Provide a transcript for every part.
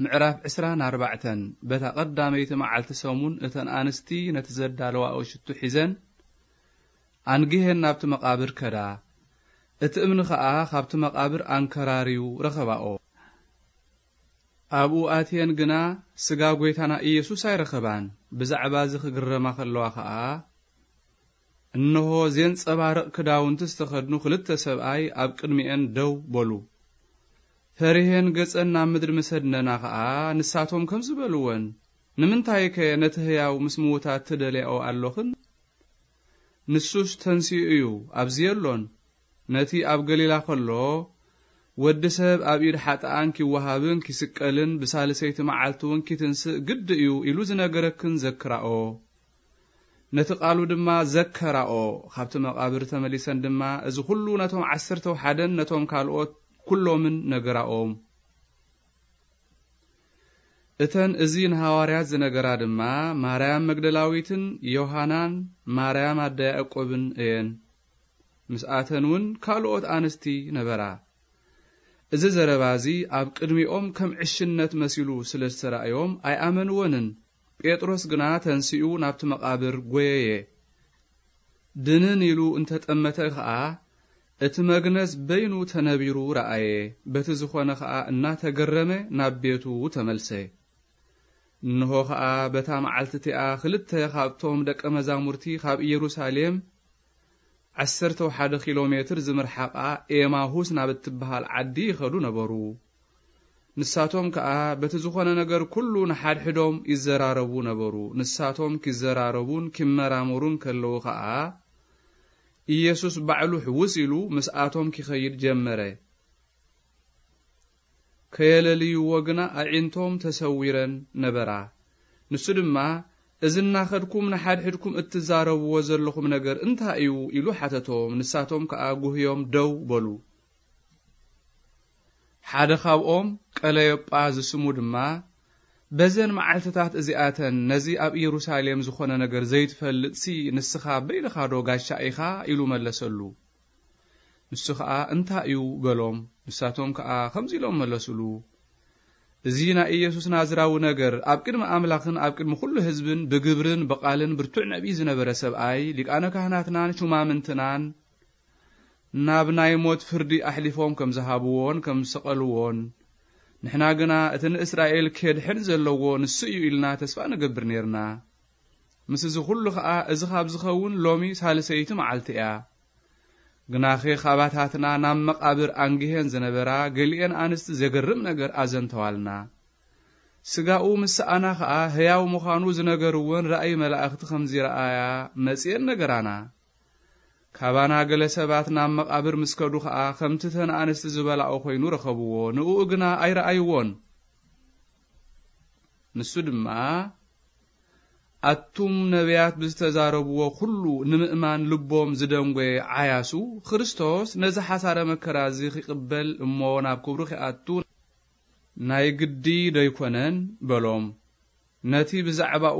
ምዕራፍ ዕስራን ኣርባዕተን። በታ ቀዳመይቲ መዓልቲ ሰሙን እተን ኣንስቲ ነቲ ዘዳለዋኦ ሽቱ ሒዘን ኣንጊሄን ናብቲ መቓብር ከዳ። እቲ እምኒ ኸኣ ኻብቲ መቓብር ኣንከራርዩ ረኸባኦ። ኣብኡ ኣትየን ግና ስጋ ጐይታና ኢየሱስ ኣይረኸባን። ብዛዕባ እዚ ክግረማ ኸለዋ ኸኣ፣ እንሆ ዜንጸባርቕ ክዳውንቲ ዝተኸድኑ ክልተ ሰብኣይ ኣብ ቅድሚኤን ደው በሉ። ፈሪሄን ገጸን ናብ ምድሪ ምስ ኣድነና ኸኣ፣ ንሳቶም ከምዚ በልወን፣ ንምንታይከ ነቲ ህያው ምስ ምዉታት ትደልያኦ ኣሎኽን? ንሱስ ተንሲኡ እዩ፣ ኣብዚ የሎን። ነቲ ኣብ ገሊላ ኸሎ፣ ወዲ ሰብ ኣብ ኢድ ሓጥኣን ኪወሃብን ኪስቀልን ብሳልሰይቲ መዓልቲ እውን ኪትንስእ ግዲ እዩ ኢሉ ዝነገረክን ዘክራኦ። ነቲ ቃሉ ድማ ዘከራኦ። ኻብቲ መቓብር ተመሊሰን ድማ እዚ ኹሉ ነቶም ዓሰርተው ሓደን ነቶም ካልኦት ኩሎምን ነገራኦም። እተን እዚ ንሃዋርያት ዝነገራ ድማ ማርያም መግደላዊትን ዮሃናን ማርያም ኣደ ያዕቆብን እየን። ምስኣተን እውን ካልኦት ኣንስቲ ነበራ። እዚ ዘረባ እዚ ኣብ ቅድሚኦም ከም ዕሽነት መሲሉ ስለ ዝተራእዮም ኣይኣመንዎንን። ጴጥሮስ ግና ተንሲኡ ናብቲ መቓብር ጐየየ። ድንን ኢሉ እንተጠመተ ኸኣ፣ እቲ መግነዝ በይኑ ተነቢሩ ረኣየ። በቲ ዝኾነ ኸኣ እናተገረመ ናብ ቤቱ ተመልሰ። እንሆ ኸኣ በታ መዓልቲ እቲኣ ክልተ ኻብቶም ደቀ መዛሙርቲ ኻብ ኢየሩሳሌም ዓሰርተ ሓደ ኪሎ ሜትር ዝምርሓቓ ኤማሁስ ናብ እትበሃል ዓዲ ይኸዱ ነበሩ። ንሳቶም ከኣ በቲ ዝኾነ ነገር ኩሉ ንሓድሕዶም ይዘራረቡ ነበሩ። ንሳቶም ኪዘራረቡን ኪመራመሩን ከለዉ ኸኣ፣ ኢየሱስ ባዕሉ ሕውስ ኢሉ ምስኣቶም ኪኸይድ ጀመረ። ከየለልይዎ ግና ኣዒንቶም ተሰዊረን ነበራ። ንሱ ድማ፣ "እዚ እናኸድኩም ንሓድሕድኩም እትዛረብዎ ዘለኹም ነገር እንታይ እዩ?" ኢሉ ሓተቶም። ንሳቶም ከኣ ጉህዮም ደው በሉ። ሓደ ካብኦም ቀለዮጳ ዝስሙ ድማ፣ "በዘን መዓልትታት እዚኣተን ነዚ ኣብ ኢየሩሳሌም ዝኾነ ነገር ዘይትፈልጥሲ ንስኻ በይንኻዶ ጋሻ ኢኻ?" ኢሉ መለሰሉ። ንሱ ኸኣ፣ "እንታይ እዩ?" በሎም። ንሳቶም ከኣ ከምዚ ኢሎም መለሱሉ፣ "እዚ ናይ ኢየሱስ ናዝራዊ ነገር ኣብ ቅድሚ ኣምላኽን ኣብ ቅድሚ ኵሉ ህዝብን ብግብርን ብቓልን ብርቱዕ ነቢይ ዝነበረ ሰብኣይ፣ ሊቃነ ካህናትናን ሹማምንትናን ናብ ናይ ሞት ፍርዲ ኣሕሊፎም ከም ዝሃብዎን ከም ዝሰቐልዎን፣ ንሕና ግና እቲ ንእስራኤል ኬድሕን ዘለዎ ንሱ እዩ ኢልና ተስፋ ንገብር ኔርና። ምስ እዚ ኹሉ ኸኣ እዚ ኻብ ዝኸውን ሎሚ ሳልሰይቲ መዓልቲ እያ። ግናኸ ኻባታትና ናብ መቓብር ኣንጊሄን ዝነበራ ገሊኤን ኣንስቲ ዘገርም ነገር ኣዘንተዋልና። ስጋኡ ምስ ሰኣና ኸኣ ህያው ምዃኑ ዝነገርወን ራእይ መላእኽቲ ከም ዝረኣያ መጺኤን ነገራና። ካባና ገለ ሰባት ናብ መቓብር ምስ ከዱ ኸኣ ከምቲ እተን ኣንስቲ ዝበላኦ ኾይኑ ረኸብዎ፣ ንእኡ ግና ኣይረኣይዎን። ንሱ ድማ፣ ኣቱም ነቢያት ብዝተዛረብዎ ኩሉ ንምእማን ልቦም ዝደንጎየ ዓያሱ፣ ክርስቶስ ነዚ ሓሳረ መከራ እዚ ኺቕበል እሞ ናብ ክብሩ ኺኣቱ ናይ ግዲ ዶ ኣይኮነን? በሎም። ነቲ ብዛዕባኡ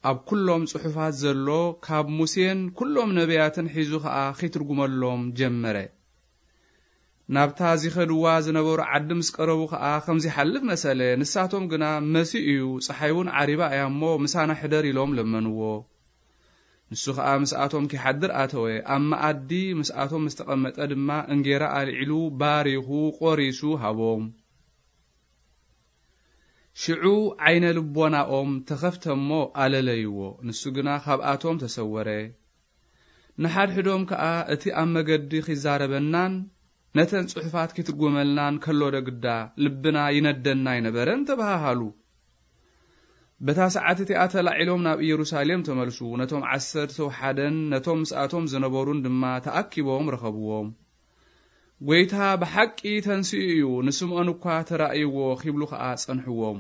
ኣብ ኩሎም ጽሑፋት ዘሎ ካብ ሙሴን ኩሎም ነቢያትን ሒዙ ኸኣ ኺትርጉመሎም ጀመረ። ናብታ ዚኸድዋ ዝነበሩ ዓዲ ምስ ቀረቡ ኸኣ፣ ከም ዚሓልፍ መሰለ። ንሳቶም ግና፣ "መሲኡ እዩ፣ ጸሓይ እውን ዓሪባ እያ እሞ፣ ምሳና ሕደር" ኢሎም ለመንዎ። ንሱ ኸኣ ምስኣቶም ኪሓድር ኣተወ። ኣብ መኣዲ ምስኣቶም ምስ ተቐመጠ ድማ፣ እንጌራ ኣልዒሉ፣ ባሪኹ፣ ቈሪሱ ሃቦም። ሽዑ ዓይነ ልቦናኦም ተኸፍተ እሞ፣ ኣለለይዎ። ንሱ ግና ካብኣቶም ተሰወረ። ንሓድሕዶም ከኣ፣ "እቲ ኣብ መገዲ ኺዛረበናን ነተን ጽሑፋት ኪትርጉመልናን ከሎ ዶ ግዳ ልብና ይነደና ኣይነበረን?" ተባሃሃሉ። በታ ሰዓት እቲኣ ተላዒሎም ናብ ኢየሩሳሌም ተመልሱ። ነቶም ዓሰርተ ሓደን ነቶም ምስኣቶም ዝነበሩን ድማ ተኣኪቦም ረኸብዎም። "ጐይታ ብሓቂ ተንሲኡ እዩ፣ ንስምዖን እኳ ተራእይዎ" ኺብሉ ኸኣ ጸንሕዎም።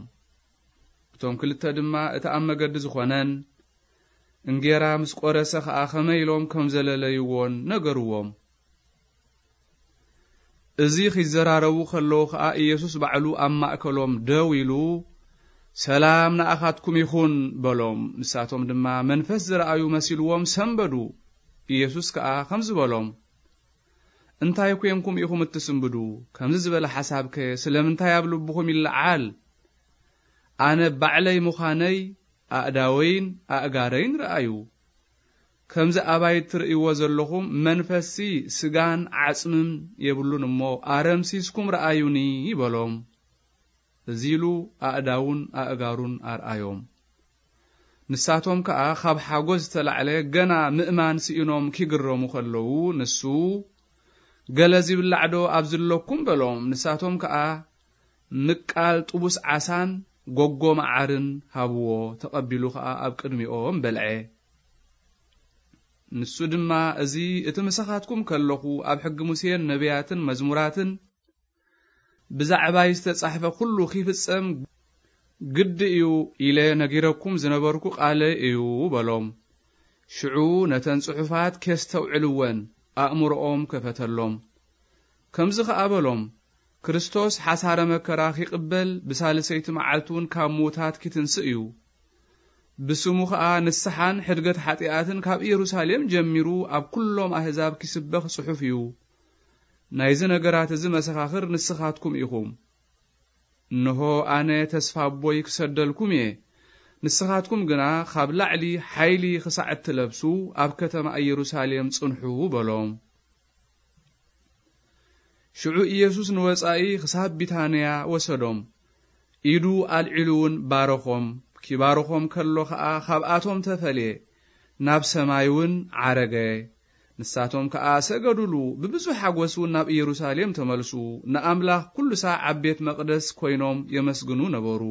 እቶም ክልተ ድማ እቲ ኣብ መገዲ ዝኾነን እንጌራ ምስ ቈረሰ ኸኣ ኸመይ ኢሎም ከም ዘለለይዎን ነገርዎም። እዚ ኺዘራረቡ ኸለዉ ኸኣ፣ ኢየሱስ ባዕሉ ኣብ ማእከሎም ደው ኢሉ፣ "ሰላም ንኣኻትኩም ይኹን" በሎም። ንሳቶም ድማ መንፈስ ዝረኣዩ መሲልዎም ሰንበዱ። ኢየሱስ ከኣ ከምዚ በሎም፣ "እንታይ ኴንኩም ኢኹም እትስንብዱ? ከምዚ ዝበለ ሓሳብከ ስለምንታይ ኣብ ልብኹም ይለዓል? ኣነ ባዕለይ ምዃነይ ኣእዳወይን ኣእጋረይን ረኣዩ። ከምዚ ኣባይ እትርእይዎ ዘለኹም መንፈስሲ ስጋን ዓጽምን የብሉን እሞ ኣረምሲስኩም ረኣዩኒ በሎም። እዚ ኢሉ ኣእዳውን ኣእጋሩን ኣርኣዮም። ንሳቶም ከኣ ካብ ሓጎስ ዝተላዕለ ገና ምእማን ስኢኖም ኪግረሙ ከለዉ፣ ንሱ፣ "ገለ ዚብላዕ ዶ ኣብዚ ኣለኩም?" በሎም። ንሳቶም ከኣ፣ "ምቃል ጥቡስ ዓሳን ጎጎ መዓርን ሃብዎ።" ተቐቢሉ ከኣ ኣብ ቅድሚኦም በልዐ። ንሱ ድማ፣ "እዚ እቲ ምሳኻትኩም ከለኹ ኣብ ሕጊ ሙሴን ነቢያትን መዝሙራትን ብዛዕባይ ዝተጻሕፈ ኩሉ ኺፍጸም ግዲ እዩ ኢለ ነጊረኩም ዝነበርኩ ቃለይ እዩ" በሎም። ሽዑ ነተን ጽሑፋት ኬስተውዕልወን ኣእምሮኦም ከፈተሎም። ከምዚ ኸኣ በሎም፣ "ክርስቶስ ሓሳረ መከራ ኺቕበል፣ ብሳልሰይቲ መዓልቲ እውን ካብ ምዉታት ኪትንስእ እዩ። ብስሙ ኸኣ ንስሓን ሕድገት ሓጢኣትን ካብ ኢየሩሳሌም ጀሚሩ ኣብ ኩሎም ኣህዛብ ኪስበኽ ጽሑፍ እዩ። ናይዚ ነገራት እዚ መሰኻኽር ንስኻትኩም ኢኹም። እንሆ፣ ኣነ ተስፋ ኣቦይ ክሰደልኩም እየ። ንስኻትኩም ግና ካብ ላዕሊ ሓይሊ ኽሳዕ እትለብሱ ኣብ ከተማ ኢየሩሳሌም ጽንሑ" በሎም። ሽዑ ኢየሱስ ንወጻኢ ክሳብ ቢታንያ ወሰዶም። ኢዱ ኣልዒሉ እውን ባረኾም። ኪባርኾም ከሎ ኸኣ ኻብኣቶም ተፈልየ፣ ናብ ሰማይ እውን ዓረገ። ንሳቶም ከኣ ሰገዱሉ፣ ብብዙሕ ሓጎስ እውን ናብ ኢየሩሳሌም ተመልሱ፣ ንኣምላኽ ኩሉ ሳዕ ኣብ ቤት መቕደስ ኮይኖም የመስግኑ ነበሩ።